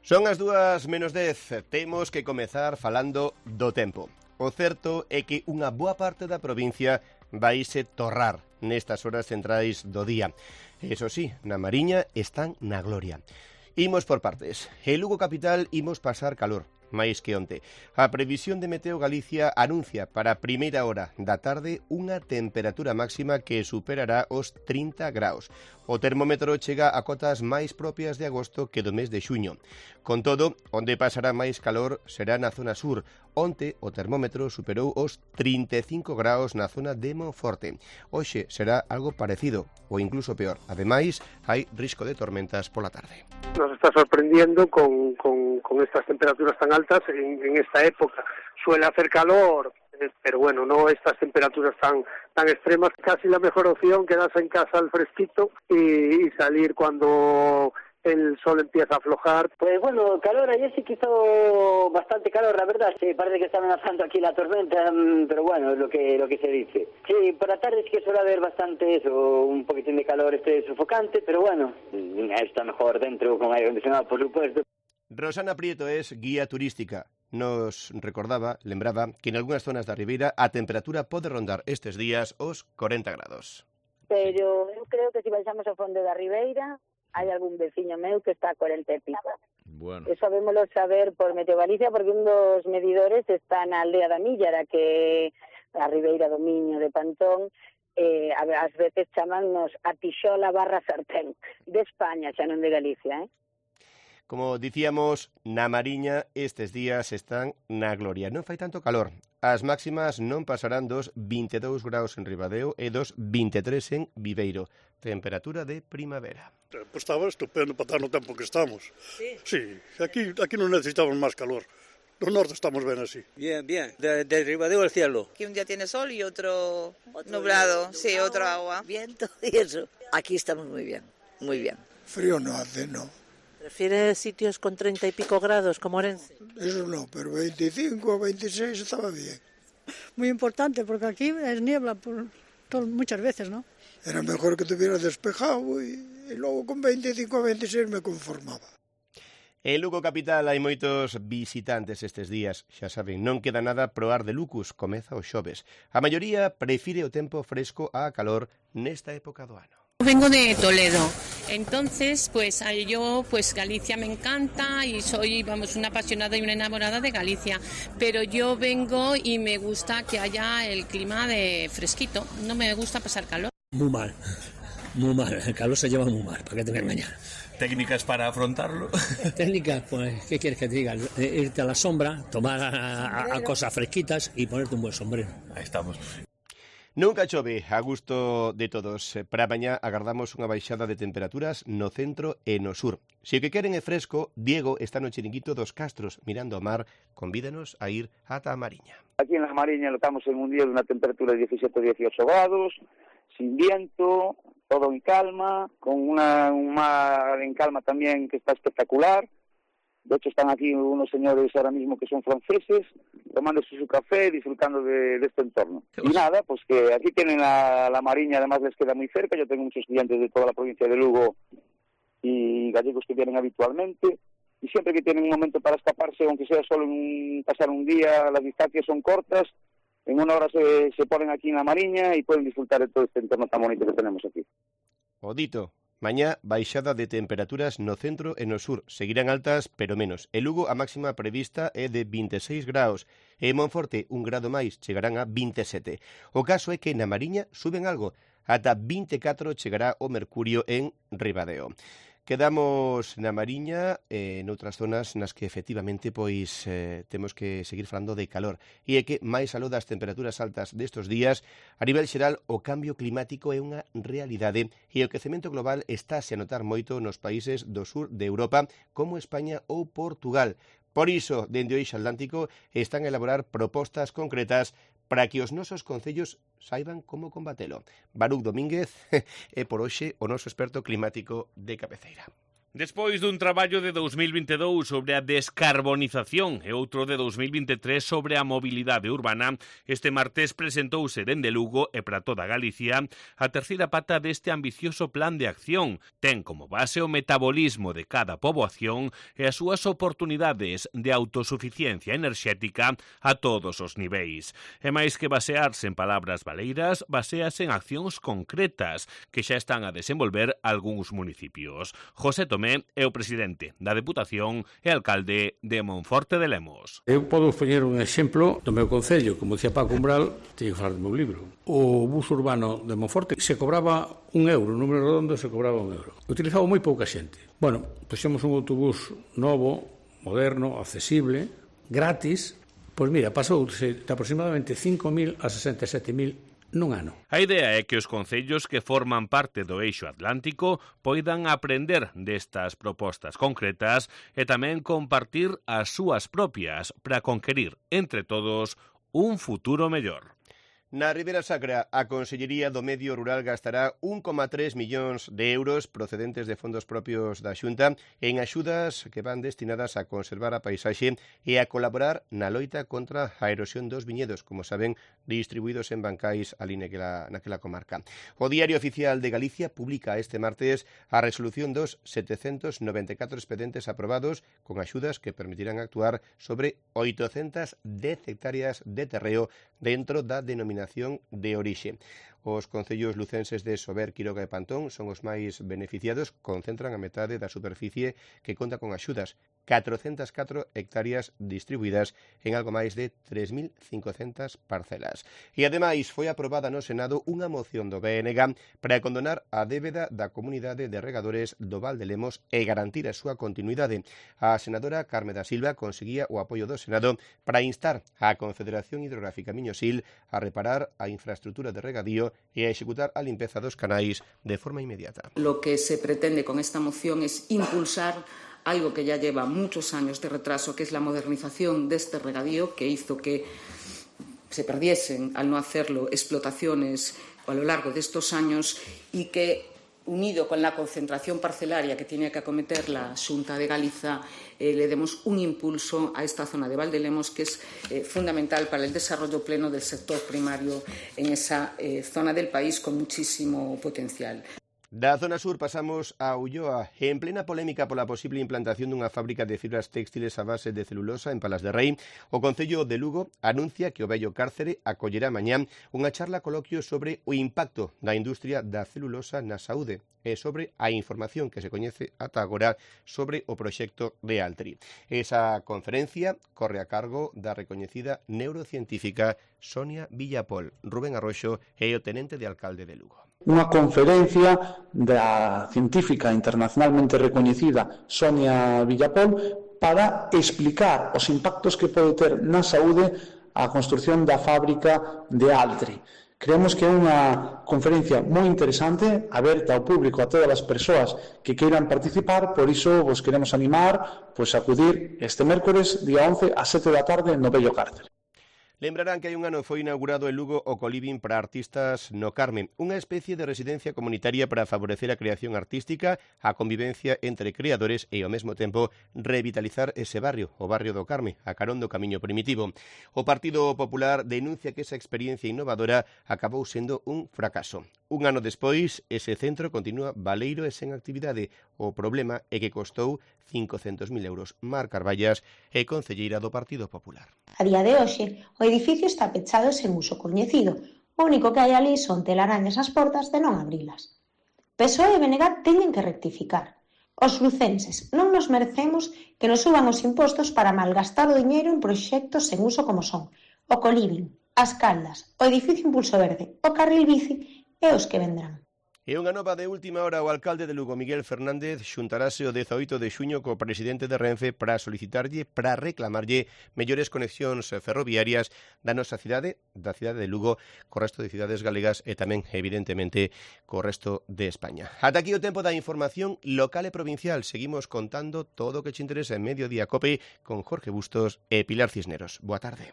Son as 2:10, temos que comezar falando do tempo. O certo é que unha boa parte da provincia vaise torrar nestas horas centrais do día. Eso sí, na Mariña están na gloria. Imos por partes. En Lugo capital imos pasar calor, máis que onte. A previsión de Meteo Galicia anuncia para a primeira hora da tarde unha temperatura máxima que superará os 30 graus. O termómetro chega a cotas máis propias de agosto que do mes de xuño. Con todo, onde pasará máis calor será na zona sur. Onte o termómetro superou os 35 graus na zona de Monforte. Hoxe será algo parecido, ou incluso peor. Ademais, hai risco de tormentas pola tarde. Nos está sorprendiendo con estas temperaturas tan altas en esta época. Suele hacer calor, pero bueno, no estas temperaturas tan extremas. Casi la mejor opción, quedarse en casa al fresquito y salir cuando el sol empieza a aflojar. Pues bueno, calor, ayer sí que hizo bastante calor, la verdad. Sí, parece que está amenazando aquí la tormenta, pero bueno, es lo que se dice. Sí, por la tarde sí que suele haber bastante eso, un poquitín de calor sofocante, pero bueno, está mejor dentro con aire acondicionado, por supuesto. Rosana Prieto es guía turística. Nos lembraba que en algunhas zonas da Ribeira a temperatura pode rondar estes días os 40 grados. Pero eu creo que se baixamos ao fondo da Ribeira, hai algún veciño meu que está a 40 e pico. Bueno. Eso sabémoslo saber por Meteo Galicia, porque un dos medidores está na aldea da Millara, que a Ribeira do Miño de Pantón, ás veces chamannos a Tixola / Sartén, de España, xa non de Galicia, Como dicíamos, na Mariña estes días están na gloria. Non fai tanto calor. As máximas non pasarán dos 22 graus en Ribadeo e dos 23 en Viveiro. Temperatura de primavera. Pues estaba estupendo para estar no tempo que estamos. Sí, aquí non necesitamos máis calor. No norte estamos ben así. Bien, de Ribadeo al cielo. Que un día tiene sol y otro nublado, sí, otro agua. Viento y eso. Aquí estamos muy bien, muy bien. Frío no hace, no. ¿Prefieres sitios con 30 y pico grados como Orense? Eso no, pero 25 o 26 estaba bien. Muy importante, porque aquí es niebla muchas veces, ¿no? Era mejor que tuviera despejado y luego con 25 o 26 me conformaba. En Lugo capital hai moitos visitantes estes días. Xa saben, non queda nada proar de Lucus, comeza o xoves. A maioría prefire o tempo fresco á calor nesta época do ano. Vengo de Toledo, entonces yo Galicia me encanta y soy una apasionada y una enamorada de Galicia, pero yo vengo y me gusta que haya el clima de fresquito, no me gusta pasar calor. Muy mal, el calor se lleva muy mal, ¿para qué te voy a engañar? ¿Técnicas para afrontarlo? Técnicas, pues, ¿qué quieres que te diga? Irte a la sombra, tomar a cosas fresquitas y ponerte un buen sombrero. Ahí estamos. Nunca chove, a gusto de todos. Para mañá agardamos unha baixada de temperaturas no centro e no sur. Se o que queren é fresco, Diego está no chiringuito dos Castros, mirando ao mar, convídanos a ir ata a Mariña. Aquí en la Mariña estamos en un día de una temperatura de 17 o 18 grados, sin viento, todo en calma, con un mar en calma también que está espectacular. De hecho, están aquí unos señores ahora mismo que son franceses, tomándose su café, disfrutando de este entorno. Y nada, pues que aquí tienen a la Mariña, además les queda muy cerca. Yo tengo muchos estudiantes de toda la provincia de Lugo y gallegos que vienen habitualmente. Y siempre que tienen un momento para escaparse, aunque sea solo pasar un día, las distancias son cortas, en una hora se ponen aquí en la Mariña y pueden disfrutar de todo este entorno tan bonito que tenemos aquí. Odito. Mañá, baixada de temperaturas no centro e no sur. Seguirán altas, pero menos. En Lugo, a máxima prevista é de 26 graus. E en Monforte, un grado máis, chegarán a 27. O caso é que na Mariña suben algo. Ata 24 chegará o mercurio en Ribadeo. Quedamos na Mariña e noutras zonas nas que efectivamente temos que seguir falando de calor. E é que, máis aló das temperaturas altas destes días, a nivel xeral o cambio climático é unha realidade e o quecemento global estáse a notar moito nos países do sur de Europa como España ou Portugal. Por iso, dende o Eixo Atlántico, están a elaborar propostas concretas para que os nosos concellos saiban como combatelo. Baruch Domínguez é por hoxe o noso experto climático de cabeceira. Despois dun traballo de 2022 sobre a descarbonización e outro de 2023 sobre a mobilidade urbana, este martes presentouse dende Lugo e para toda Galicia a terceira pata deste ambicioso plan de acción. Ten como base o metabolismo de cada poboación e as súas oportunidades de autosuficiencia enerxética a todos os niveis. E máis que basearse en palabras baleiras, basease en accións concretas que xa están a desenvolver algúns municipios. José Tomé é o presidente da Deputación e alcalde de Monforte de Lemos. Eu podo poñer un exemplo do meu concello, como dicía Paco Umbral, teño que falar do meu libro. O bus urbano de Monforte se cobraba €1, o número redondo se cobraba €1. Utilizaba moi pouca xente. Bueno, puxemos un autobús novo, moderno, accesible, gratis. Pois mira, pasouse de aproximadamente 5.000 a 67.000 nun ano. A idea é que os concellos que forman parte do eixo atlántico poidan aprender destas propostas concretas e tamén compartir as súas propias para conquerir entre todos un futuro mellor. Na Ribera Sacra, a Consellería do Medio Rural gastará 1,3 millóns de euros procedentes de fondos propios da Xunta en axudas que van destinadas a conservar a paisaxe e a colaborar na loita contra a erosión dos viñedos, como saben, distribuídos en bancais ali naquela comarca. O Diario Oficial de Galicia publica este martes a resolución dos 794 expedientes aprobados con axudas que permitirán actuar sobre 810 hectáreas de terreo dentro da denominación de orixe. Os concellos lucenses de Sober, Quiroga e Pantón son os máis beneficiados, concentran a metade da superficie que conta con axudas, 404 hectáreas distribuídas en algo máis de 3.500 parcelas. E ademais foi aprobada no Senado unha moción do BNG para condonar a débeda da comunidade de regadores do Val de Lemos e garantir a súa continuidade. A senadora Carme da Silva conseguía o apoio do Senado para instar á Confederación Hidrográfica Miñosil a reparar a infraestructura de regadío e a executar a limpeza dos canais de forma inmediata. Lo que se pretende con esta moción es impulsar algo que ya lleva muchos años de retraso, que es la modernización de este regadío, que hizo que se perdiesen, al no hacerlo, explotaciones a lo largo de estos años y que, unido con la concentración parcelaria que tiene que acometer la Xunta de Galiza, le demos un impulso a esta zona de Valdelemos que es fundamental para el desarrollo pleno del sector primario en esa zona del país con muchísimo potencial. Da zona sur pasamos a Ulloa. En plena polémica pola posible implantación dunha fábrica de fibras textiles a base de celulosa en Palas de Rei, o Concello de Lugo anuncia que o vello cárcere acollerá mañá unha charla coloquio sobre o impacto da industria da celulosa na saúde e sobre a información que se coñece ata agora sobre o proxecto de Altri. Esa conferencia corre a cargo da recoñecida neurocientífica Sonia Villapol. Rubén Arroxo é o tenente de alcalde de Lugo. Unha conferencia da científica internacionalmente recoñecida Sonia Villapol para explicar os impactos que pode ter na saúde a construción da fábrica de Altri. Creemos que é unha conferencia moi interesante, aberta ao público, a todas as persoas que queiran participar, por iso vos queremos animar a acudir este mércores, día 11, a 7 da tarde, no vello cárcere. Lembrarán que hai un ano foi inaugurado en Lugo o Coliving para artistas no Carme, unha especie de residencia comunitaria para favorecer a creación artística, a convivencia entre creadores e ao mesmo tempo revitalizar ese barrio, o barrio do Carme, a carón do camiño primitivo. O Partido Popular denuncia que esa experiencia innovadora acabou sendo un fracaso. Un ano despois, ese centro continúa baleiro e sen actividade. O problema é que costou 500.000 euros. Mar Carballas é concelleira do Partido Popular. A día de hoxe, o edificio está pechado sen uso coñecido. O único que hai ali son telarañas ás portas de non abrilas. PSOE e BNG teñen que rectificar. Os lucenses non nos merecemos que nos suban os impostos para malgastar o diñeiro en proxectos sen uso como son o Coliving, as Caldas, o edificio Impulso Verde, o carril bici e os que vendrán. E unha nova de última hora, o alcalde de Lugo, Miguel Fernández, xuntarase o 18 de xuño co presidente de Renfe para reclamarlle mellores conexións ferroviarias da nosa cidade, da cidade de Lugo, co resto de cidades galegas e tamén, evidentemente, co resto de España. Ata aquí o tempo da información local e provincial. Seguimos contando todo o que che interesa en Mediodía Cope con Jorge Bustos e Pilar Cisneros. Boa tarde.